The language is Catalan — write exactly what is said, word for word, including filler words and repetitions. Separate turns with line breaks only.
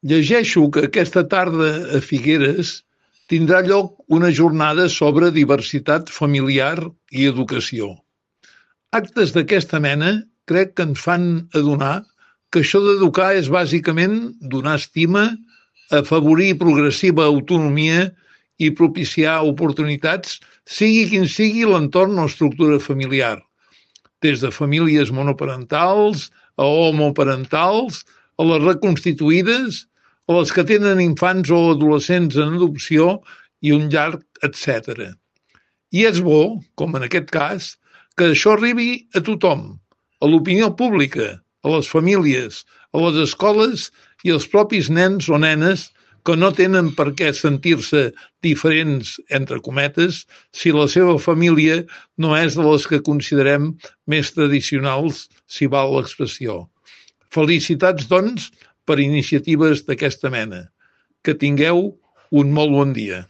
Llegeixo que aquesta tarda a Figueres tindrà lloc una jornada sobre diversitat familiar i educació. Actes d'aquesta mena crec que ens fan adonar que això d'educar és bàsicament donar estima, afavorir progressiva autonomia i propiciar oportunitats, sigui quin sigui l'entorn o estructura familiar, des de famílies monoparentals a homoparentals, a les reconstituïdes, a les que tenen infants o adolescents en adopció i un llarg etcètera. I és bo, com en aquest cas, que això arribi a tothom, a l'opinió pública, a les famílies, a les escoles i als propis nens o nenes que no tenen per què sentir-se diferents, entre cometes, si la seva família no és de les que considerem més tradicionals, si val l'expressió. Felicitats, doncs, per iniciatives d'aquesta mena. Que tingueu un molt bon dia.